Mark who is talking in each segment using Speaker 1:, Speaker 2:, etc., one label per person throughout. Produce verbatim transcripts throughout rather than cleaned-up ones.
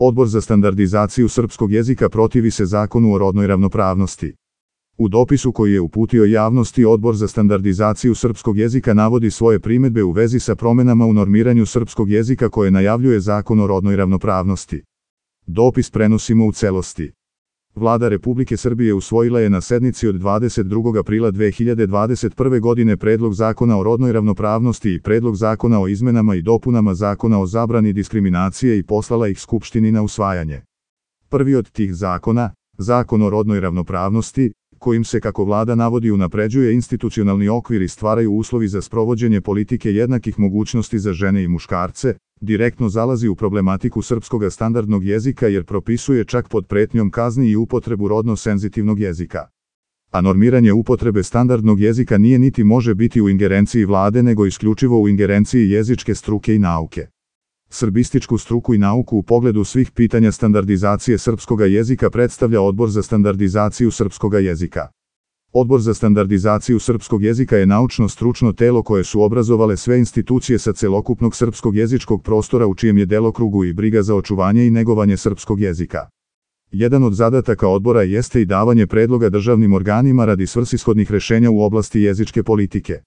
Speaker 1: Odbor za standardizaciju srpskog jezika protivi se Zakonu o rodnoj ravnopravnosti. U dopisu koji je uputio javnosti, Odbor za standardizaciju srpskog jezika navodi svoje primedbe u vezi sa promenama u normiranju srpskog jezika koje najavljuje Zakon o rodnoj ravnopravnosti. Dopis prenosimo u celosti. Vlada Republike Srbije usvojila je na sednici od dvadeset drugog aprila dve hiljade dvadeset prve godine Predlog zakona o rodnoj ravnopravnosti i Predlog zakona o izmenama i dopunama Zakona o zabrani diskriminacije i poslala ih Skupštini na usvajanje. Prvi od tih zakona, Zakon o rodnoj ravnopravnosti, kojim se, kako vlada navodi, unapređuje institucionalni okvir i stvaraju uslovi za sprovođenje politike jednakih mogućnosti za žene i muškarce, direktno zalazi u problematiku srpskog standardnog jezika jer propisuje čak pod pretnjom kazni i upotrebu rodno senzitivnog jezika. A normiranje upotrebe standardnog jezika nije niti može biti u ingerenciji vlade nego isključivo u ingerenciji jezičke struke i nauke. Srbističku struku i nauku u pogledu svih pitanja standardizacije srpskoga jezika predstavlja Odbor za standardizaciju srpskoga jezika. Odbor za standardizaciju srpskog jezika je naučno-stručno telo koje su obrazovale sve institucije sa celokupnog srpskog jezičkog prostora u čijem je delokrugu i briga za očuvanje i negovanje srpskog jezika. Jedan od zadataka odbora jeste i davanje predloga državnim organima radi svrsishodnih rešenja u oblasti jezičke politike.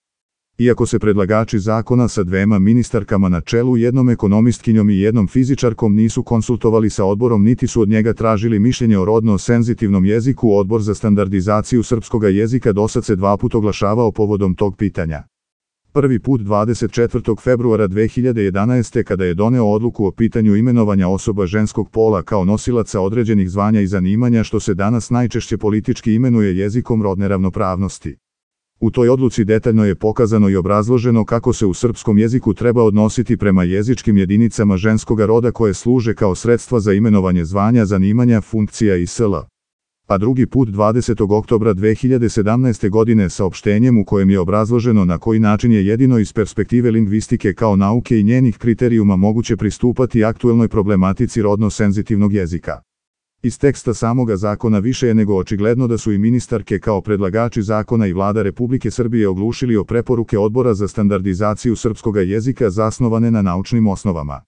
Speaker 1: Iako se predlagači zakona sa dvema ministarkama na čelu, jednom ekonomistkinjom i jednom fizičarkom, nisu konsultovali sa odborom niti su od njega tražili mišljenje o rodno senzitivnom jeziku, Odbor za standardizaciju srpskoga jezika dosad se dva put oglašavao povodom tog pitanja. Prvi put dvadeset četvrtog februara dve hiljade jedanaeste. kada je doneo odluku o pitanju imenovanja osoba ženskog pola kao nosilaca određenih zvanja i zanimanja, što se danas najčešće politički imenuje jezikom rodne ravnopravnosti. U toj odluci detaljno je pokazano i obrazloženo kako se u srpskom jeziku treba odnositi prema jezičkim jedinicama ženskoga roda koje služe kao sredstva za imenovanje zvanja, zanimanja, funkcija i sl. A drugi put dvadesetog oktobra dve hiljade sedamnaeste. godine saopštenjem u kojem je obrazloženo na koji način je jedino iz perspektive lingvistike kao nauke i njenih kriterijuma moguće pristupati aktuelnoj problematici rodno senzitivnog jezika. Iz teksta samoga zakona više je nego očigledno da su i ministarke kao predlagači zakona i Vlada Republike Srbije oglušili o preporuke Odbora za standardizaciju srpskoga jezika zasnovane na naučnim osnovama.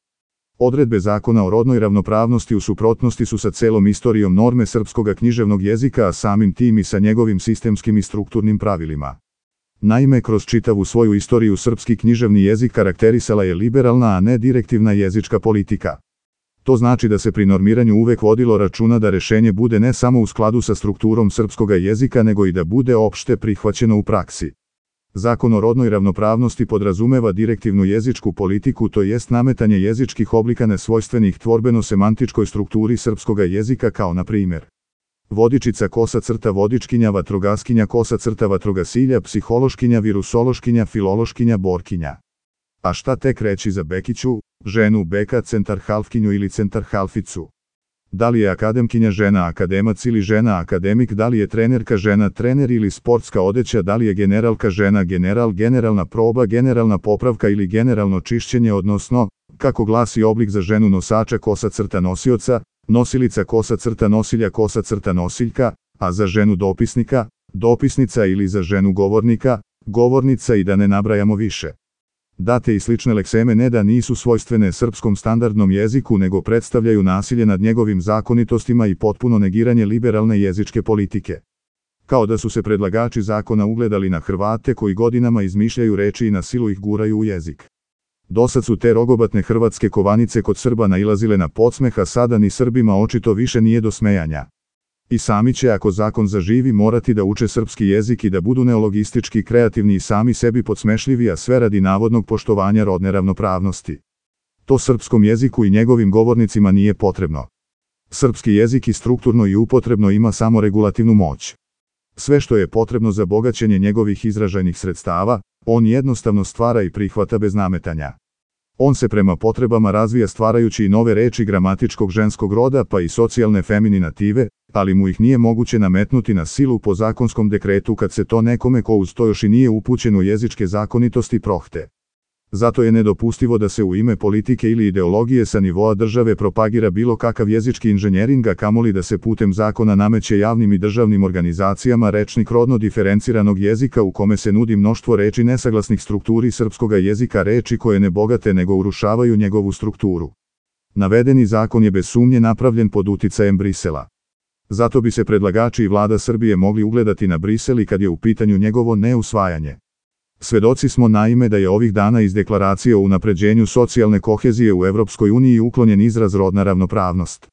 Speaker 1: Odredbe Zakona o rodnoj ravnopravnosti u suprotnosti su sa celom istorijom norme srpskoga književnog jezika, a samim tim i sa njegovim sistemskim i strukturnim pravilima. Naime, kroz čitavu svoju istoriju srpski književni jezik karakterisala je liberalna, a ne direktivna jezička politika. To znači da se pri normiranju uvek vodilo računa da rešenje bude ne samo u skladu sa strukturom srpskoga jezika, nego i da bude opšte prihvaćeno u praksi. Zakon o rodnoj ravnopravnosti podrazumeva direktivnu jezičku politiku, to jest nametanje jezičkih oblika nesvojstvenih tvorbeno-semantičkoj strukturi srpskoga jezika, kao na primjer vodičica, kosa crta vodičkinja, vatrogaskinja, kosa crta vatrogasilja, psihološkinja, virusološkinja, filološkinja, borkinja. A šta tek reći za bekiću, ženu, beka, centarhalfkinju ili centarhalficu? Da li je akademkinja žena, akademac ili žena akademik, da li je trenerka žena, trener ili sportska odeća, da li je generalka žena, general, generalna proba, generalna popravka ili generalno čišćenje, odnosno, kako glasi oblik za ženu nosača, kosa crta nosioca, nosilica, kosa crta nosilja, kosa crta nosiljka, a za ženu dopisnika, dopisnica ili za ženu govornika, govornica i da ne nabrajamo više. Date i slične lekseme ne da nisu svojstvene srpskom standardnom jeziku, nego predstavljaju nasilje nad njegovim zakonitostima i potpuno negiranje liberalne jezičke politike. Kao da su se predlagači zakona ugledali na Hrvate koji godinama izmišljaju reči i na silu ih guraju u jezik. Dosad su te rogobatne hrvatske kovanice kod Srba nailazile na podsmeh, a sada ni Srbima očito više nije do smejanja. I sami će, ako zakon zaživi, morati da uče srpski jezik i da budu neologistički kreativni i sami sebi podsmešljivi, a sve radi navodnog poštovanja rodne ravnopravnosti. To srpskom jeziku i njegovim govornicima nije potrebno. Srpski jezik i strukturno i upotrebno ima samo regulativnu moć. Sve što je potrebno za bogaćenje njegovih izražajnih sredstava, on jednostavno stvara i prihvata bez nametanja. On se prema potrebama razvija stvarajući i nove reči gramatičkog ženskog roda pa i socijalne femininative, ali mu ih nije moguće nametnuti na silu po zakonskom dekretu kad se to nekome ko uz to još i nije upućen u jezičke zakonitosti prohte. Zato je nedopustivo da se u ime politike ili ideologije sa nivoa države propagira bilo kakav jezički inženjering, a kamoli da se putem zakona nameće javnim i državnim organizacijama rečnik rodno diferenciranog jezika u kome se nudi mnoštvo reči nesaglasnih strukturi srpskoga jezika, reči koje ne bogate nego urušavaju njegovu strukturu. Navedeni zakon je bez sumnje napravljen pod uticajem Brisela. Zato bi se predlagači i vlada Srbije mogli ugledati na Brisel i kad je u pitanju njegovo neusvajanje. Svedoci smo naime da je ovih dana iz deklaracije o unapređenju socijalne kohezije u Evropskoj uniji uklonjen izraz rodna ravnopravnost.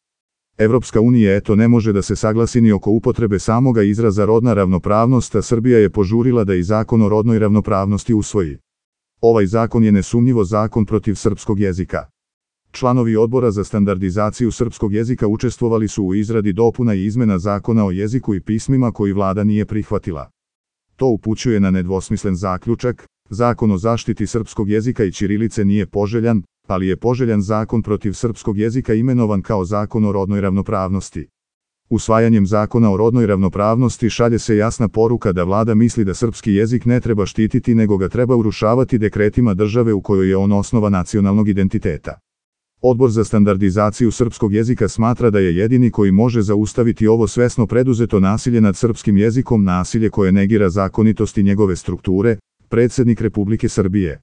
Speaker 1: Evropska unija eto ne može da se saglasi ni oko upotrebe samoga izraza rodna ravnopravnost, a Srbija je požurila da i zakon o rodnoj ravnopravnosti usvoji. Ovaj zakon je nesumnjivo zakon protiv srpskog jezika. Članovi Odbora za standardizaciju srpskog jezika učestvovali su u izradi dopuna i izmena zakona o jeziku i pismima koji vlada nije prihvatila. To upućuje na nedvosmislen zaključak: zakon o zaštiti srpskog jezika i ćirilice nije poželjan, ali je poželjan zakon protiv srpskog jezika imenovan kao zakon o rodnoj ravnopravnosti. Usvajanjem zakona o rodnoj ravnopravnosti šalje se jasna poruka da vlada misli da srpski jezik ne treba štititi nego ga treba urušavati dekretima države u kojoj je on osnova nacionalnog identiteta. Odbor za standardizaciju srpskog jezika smatra da je jedini koji može zaustaviti ovo svesno preduzeto nasilje nad srpskim jezikom, nasilje koje negira zakonitosti njegove strukture, predsjednik Republike Srbije.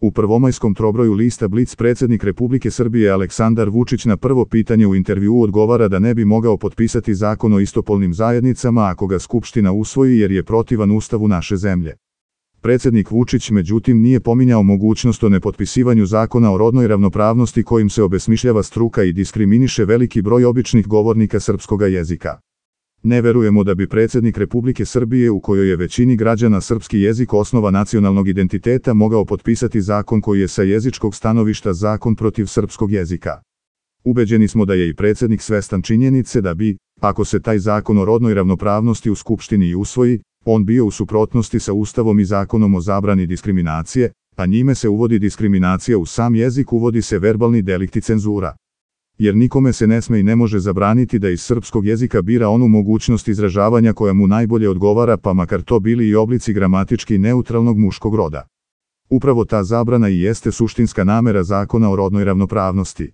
Speaker 1: U prvomajskom trobroju lista Blic predsjednik Republike Srbije Aleksandar Vučić na prvo pitanje u intervjuu odgovara da ne bi mogao potpisati zakon o istopolnim zajednicama ako ga Skupština usvoji jer je protivan Ustavu naše zemlje. Predsjednik Vučić međutim nije pominjao mogućnost o nepotpisivanju zakona o rodnoj ravnopravnosti kojim se obesmišljava struka i diskriminiše veliki broj običnih govornika srpskoga jezika. Ne verujemo da bi predsjednik Republike Srbije, u kojoj je većini građana srpski jezik osnova nacionalnog identiteta, mogao potpisati zakon koji je sa jezičkog stanovišta zakon protiv srpskog jezika. Ubeđeni smo da je i predsjednik svestan činjenice da bi, ako se taj zakon o rodnoj ravnopravnosti u Skupštini i usvoji, on bio u suprotnosti sa Ustavom i zakonom o zabrani diskriminacije, a njime se uvodi diskriminacija u sam jezik, uvodi se verbalni delikt i cenzura. Jer nikome se ne sme i ne može zabraniti da iz srpskog jezika bira onu mogućnost izražavanja koja mu najbolje odgovara, pa makar to bili i oblici gramatički neutralnog muškog roda. Upravo ta zabrana i jeste suštinska namera zakona o rodnoj ravnopravnosti.